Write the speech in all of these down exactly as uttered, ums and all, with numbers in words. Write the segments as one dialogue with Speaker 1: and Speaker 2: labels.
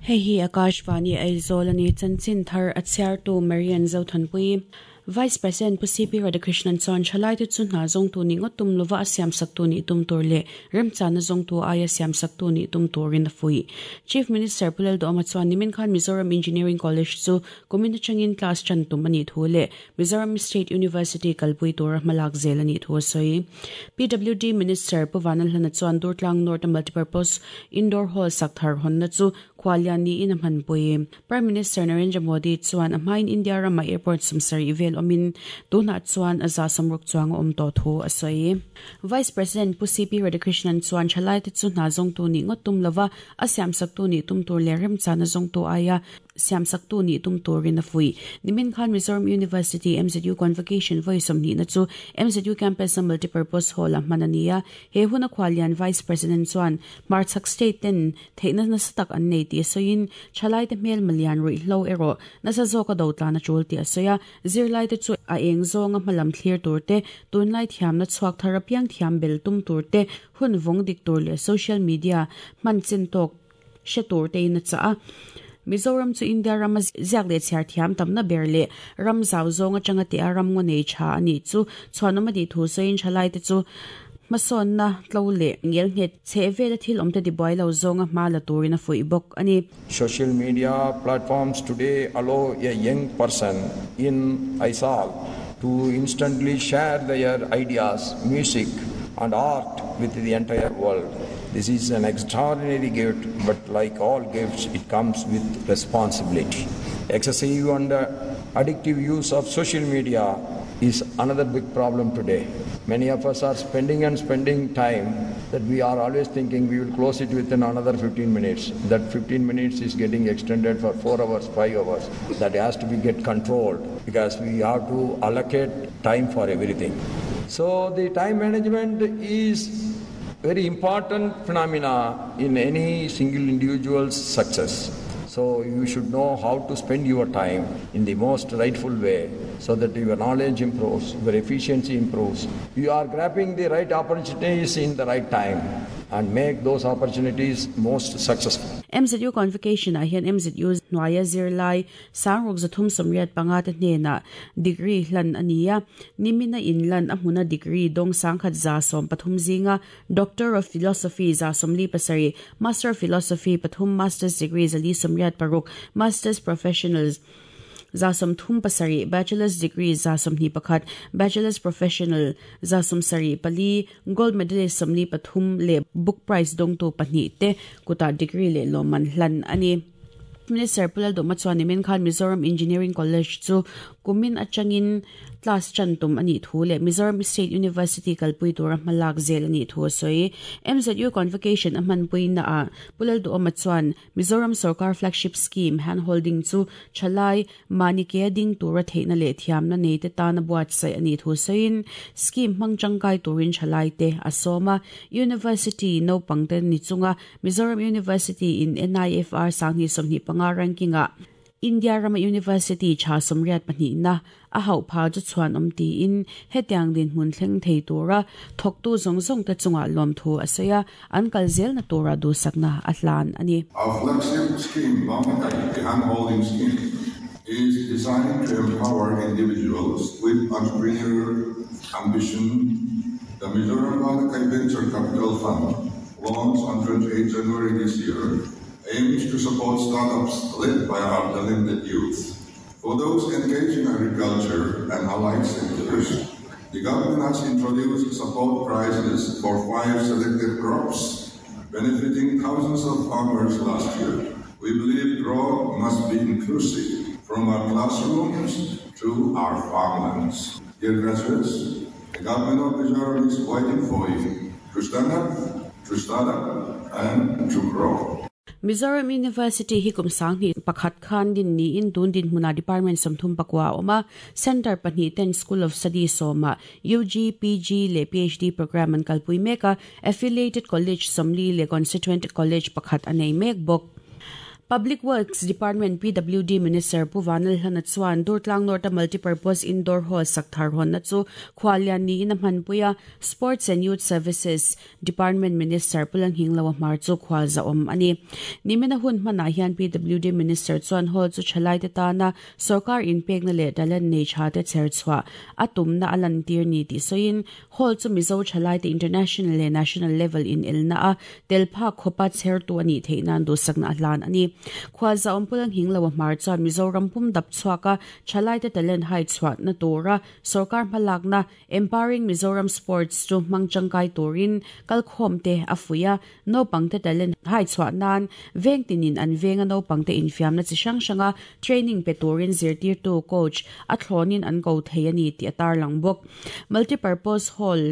Speaker 1: Hei hi Akashvani Aizawl ani chanchin thar a chhiartu Marian Zothanpui. Vice President Pu C P Radhakrishnan chuan thalai te chu hna zawng tu ni ngawt tum lova a siam sak tu ni tum tur leh remchana zawng tu aia siam sak tu ni tum turin a fui. Chief Minister Pu Lalduhoma chuan nimin khan Mizoram Engineering College chu kumin atangin class chan tum ani thu leh Mizoram State University kalpui tura hmalak zel ani thu a sawi. P W D Minister Pu Vanlalhlana chuan Durtlang North Multipurpose Indoor Hall sak thar hawnna chu khwalian ni in a hmanpui. Prime Minister Narendra Modi chuan a hmain India rama airport sumsari vel omin tuna chuan a za samruk chuang om to thu a sawi. Vice President Pu C P Radhakrishnan chuan thalai te chu hna zawng tu ni ngawt tum lova a siam sak tu ni tum tur leh remchana zawng tu aia siam sak tu ni tum turin a fui. Nimin khan Mizoram University M Z U Convocation voi sawmhnih na chu M Z U Campus a Multipurpose Hall a hman ania. He huna khwalian Vice President chuan Hmarchhak State ten theihna nasa tak an nei ti a sawiin thalai te hmel malian ruihhlo erawh nasa zawk a do tlan a tul ti a sawi a. Zirlai te chu a eng zawnga hmalam thlir tur te tunlai thiamna chhuak thar apiang thiam bel tum tur te hun vawng dik tur leh social media hman chin tawk hre tur te in a chah a. Mizoram chu India rama ziak leh chhiar thiam tamna ber leh ram zau zawng atanga te a ram ngaw nei tha ani chu chhuanawm a tih thu sawiin thalai te chu hmasawnna tlo leh ngel nghet chheh vel a thil awm te tibuai lo zawnga hma la turin a fuih bawk ani.
Speaker 2: Social media platforms today allow a young person in Aizawl to instantly share their ideas, music and art with the entire world. This is an extraordinary gift, but like all gifts, it comes with responsibility. Excessive and addictive use of social media is another big problem today. Many of us are spending and spending time that we are always thinking we will close it within another fifteen minutes. That fifteen minutes is getting extended for four hours, five hours. That has to be get controlled because we have to allocate time for everything. So the time management is very important phenomena in any single individual's success. So you should know how to spend your time in the most rightful way so that your knowledge improves, your efficiency improves. You are grabbing the right opportunities in the right time and make those opportunities most successful.
Speaker 1: M Z U Convocation a hian M Z U hnuaia zirlai sangruk zathum sawmriat panga te hnena degree hlan ania. Nimina inlan a hmuna degree dawng sangkhat za sawm pathum zinga Doctor of Philosophy za sawmli pasarih, Master of Philosophy pathum, Master's degree zali sawmriat paruk, Master's Professionals za sawmthum pasarih, Bachelor's degree za sawmhnih pakhat, Bachelor's Professional za sawmsarih pali, Gold medalist sawmli pathum leh book prize dawng tu pahnih te kuta degree leh lawmman hlan ani. Minister Pu Lalduhoma chuan nimin khan Mizoram Engineering College chu kumin atangin class chan tum ani thu leh Mizoram State University kalpui tura hmalak zel ani thu a sawi. M Z U Convocation a hmanpui na a Pu Lalduhoma chuan Mizoram Sarkar Flagship Scheme handholding chu thalai mani ke ding tura theihna leh thiamna nei te tana buatsaih ani thu sawiin scheme hmang tangkai turin thalai te a sawma. University naupang te ni chunga Mizoram University in N I F R sanghnih sawmhnih panga ranking a India Rama University tha sawmriat pahnih na a hauh pha chu chuan awm tiin hetiang din hmun thleng thei tura thawktu zawng zawng te chunga lawm thu a sawi a, an kal zel na tura duhsakna a hlan ani.
Speaker 3: Our flagship scheme, the handholding scheme, is designed to empower individuals with entrepreneurial ambition. The Mizoram Malakai Venture Capital Fund, launched on twenty-eighth January this year, aims to support startups led by our talented youth. For those engaged in agriculture and allied sectors, the government has introduced support prices for five selected crops, benefiting thousands of farmers last year. We believe growth must be inclusive, from our classrooms to our farmlands. Dear graduates, the government of Mizoram is waiting for you to stand up, to start up, and to grow.
Speaker 1: Mizoram University hi kum sanghnih pakhat khan din ni in tun din hmuna department sawmthum pakua awma center pahnih ten School of Studies sawma U G, P G leh P H D program an kalpui mek a, affiliated college sawmli leh constituent college pakhat a nei mek bawk. Public Works Department P W D Minister Pu Vanlalhlana chuan Durtlang North Multipurpose Indoor Hall sakthar honna chu khwalian ni in a hmanpuia Sports and Youth Services Department Minister Pu Lalnghingloa Hmar chu khwal za awm ani. Nimina hun hmanah hian P W D Minister chuan hall chu thalai te tana sarkar inpekna leh talent nei tha te chher chhuah a tumna a lan tir ni tih sawiin hall chu Mizo thalai te international leh national level in elna a telpha khopa chher tu ani theihnan duhsakna a hlan ani. Khwalza awm Pu Lalnghingloa Hmar chuan Mizoram pum dap chhuaka thalai te talent hai chhuah na tura sarkar hmalakna Empowering Mizoram Sports chu hmang tangkai turin kalkhawm te a fuia naupang te talent hai chhuah nan veng tinin an venga naupang te infiamna chi hrang hranga training pe turin zirtirtu coach a thlawnin an ko thei ani tih a tarlang bawk. Multipurpose hall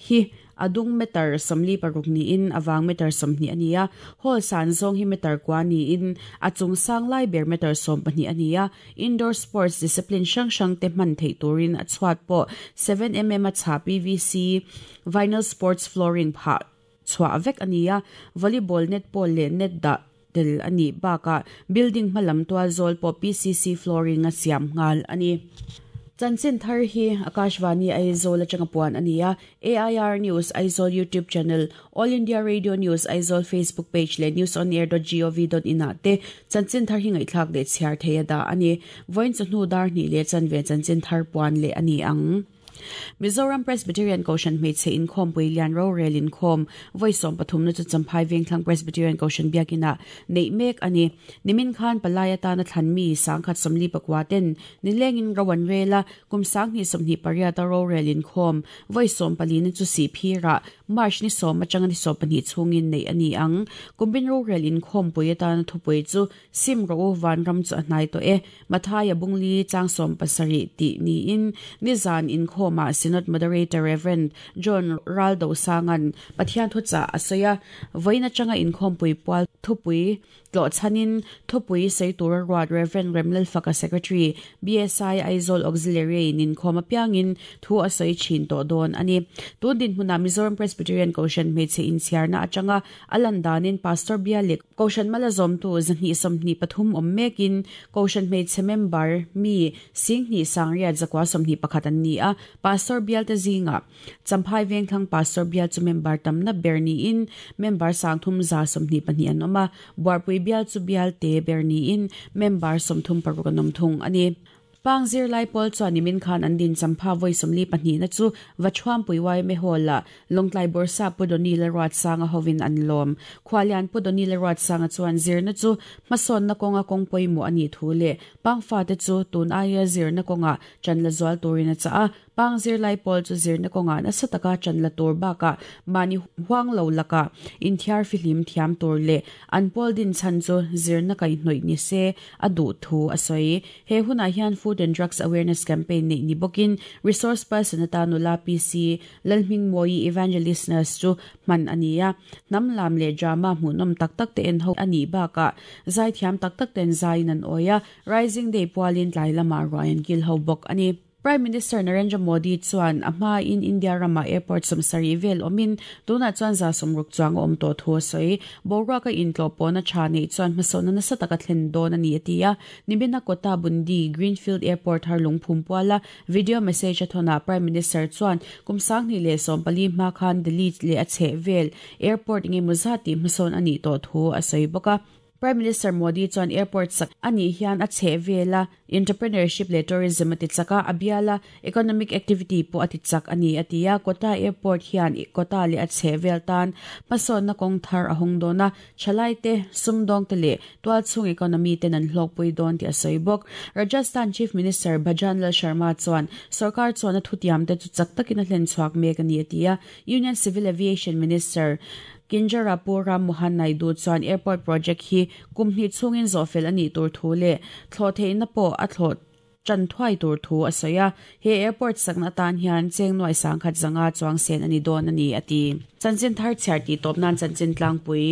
Speaker 1: hi adung meter samli paruk ni in awang meter samni ania hall san zong hi meter kwa ni in achung sang lai ber meter som pahnih ania indoor sports discipline hrang hrang te hman thei turin a chhuat pawh seven millimeter a chha P V C vinyl sports flooring pha chhuah vek ania volleyball netball leh net dah tel ani baka building hmalam tual zawl pawh P C C flooring a siam nghal ani. Chanchin thar hi Akashvani Aizawl atanga puan ania A I R News Aizawl YouTube channel, All India Radio News Aizawl Facebook page le news on air dot gov dot in ah te chanchin thar hi ngaihthlak leh chhiar thei a da ani. Vawiin chawhnu dar hnih leh chanve chanchin thar puan leh ani ang. Mizoram Presbyterian Koshan hmeichhe inkhawm puilian rorel inkhawm vawi sawm pathum na chu Champhai Vengthlang Presbyterian Koshan biakina neih mek ani. Nimin khan palai atana thlan mi sangkhat sawmli pakua ten nilengin rawan rela kum sanghnih sawmhnih pariat a rorel inkhawm vawi sawm pali na chu Sihphira March ni sawm atanga ni sawm pahnih chhungin neih ani ang. Kumbin rorel inkhawm pui atana thupui chu sim ro vanram chu a hnai tawh e Mathaya bungli chang sawm pasarih tih niin nizan inkhawm ma Synod Moderator Reverend John Raldo Sangan Pathian thucha asoya voina changa inkhawm pui pual thupui tlo chanin thupui seitur ruat Reverend Remlal Faka Secretary B S I Aizawl Auxiliary nin khawm apiangin thu asoi chin to don ani. Tun din hmuna Mizoram Presbyterian Koshan hmeichhe inchhiarna atanga alan danin Pastor Bialik Koshan malazawm tu zahnih sawmhnih pathum awm mekin Koshan hmeichhe member mi singhnih sangriat zakwa sawmhnih pakhat an ni a. Pastor Bial te zinga Champhai Vengthlang Pastor Bial chu member tamna ber ni in member sangthum za sawmhnih pahnih an awm a. Buarpui Bial chu Bial te ber ni in member sawmthum paruk an awm thung ani. Pangzir lai pawl chuan nimin khan an din Champha vawi sawmli pahnih na chu Vachuampui Y M A Hall ah Lawngtlai Borsa Pu Doni Lalruat Sanga hovin an lawm. Khwalian Pu Doni Lalruat Sanga chuan zirna chu hmasawnna kawnga kawng pawimawh ani thu leh pangfa te chu tun aia zirna kawnga chan la zual turin a chah a. Pangzir lai pawl chu zirna kawnga nasa taka chan la tur bakah mahni huang lo laka inthiar fihlim thiam tur leh an pawl din chhan chu zirna kaihhnawih ni se a duh thu a sawi. He hunah hian Food and Drugs Awareness Campaign nei ni bawkin resource person atanula P C Lalhmingmawi Evangelist Nurse chu hman ania. Hnam lam leh drama hmuhnawm tak tak te en ho ani bakah zai thiam tak tak ten zaiin an awia Rising Day pualin tlai lamah ruai an kil ho bawk ani. Prime Minister Narendra Modi chuan a hma in India rama airport sawmsarih vel awmin tunah chuan za sawmruk chuang a awm tawh thu a sawi. Boruaka intlaw pawna tha nei chuan hmasawnna nasa taka thlen dawn ani a ti a. Nimina Kota Bundi Greenfield Airport har lungphum puala video message a thawna Prime Minister chuan kum sanghnih leh sawm pali hma khan Delhi leh a chheh vel airport engemaw zat tih hmasawn ani tawh thu a sawi bawk a. Prime Minister Modi chuan airport sak ani hian a chheh vela entrepreneurship leh tourism a ti chaka a biala economic activity pawh a ti chak ani a ti a. Kota airport hian Kota leh a chheh vel tan hmasawnna kawng thar a hawng dawn a. Thalai te sumdawng te leh tualchhung economy ten an hlawkpui dawn tih a sawi bawk. Rajasthan Chief Minister Bhajan Lal Sharma chuan sarkar chuan a thutiam te chu chak takin a hlen chhuak mek ani a ti a. Union Civil Aviation Minister Kinjarapu Ram Mohan Naidu chuan airport project hi kumhnih chhungin zawhfel ani tur thu leh thlawh theihna pawh a thlawh chan thuai tur thu a soya he airport sakna tan hian cheng noi sang khat zanga chuang sen ani don ani ati chanchin thar chhiar ti top nan chanchin tlangpui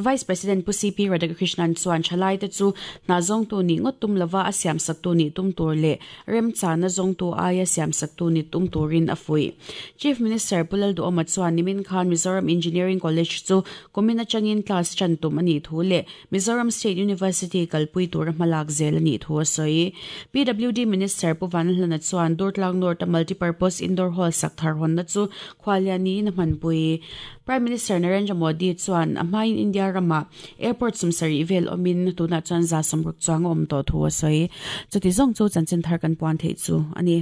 Speaker 1: Vice President Pu C P Radhakrishnan chuan thalai te chu na zong tu ni ngot tum lova a siam sak tu ni tum tur le rem chana zong tu aia siam sak tu ni tum turin a fui Chief Minister Pulal Du Oma chuan nimin khan Mizoram Engineering College chu kumina changin class chan tum ani thu le Mizoram State University kalpui tur hmalak zel ani thu a soi P W D Minister Pu Vanhlana chuan Durtlang North Multipurpose Indoor Hall sak thar hon na chu khwaliani na hmanpui Prime Minister Narendra Modi chuan amain India rama airport sumsari vel omin tuna chuan za samruk chuang om to thu a soi chuti zong chu chanchin thar kan puan thei chu ani.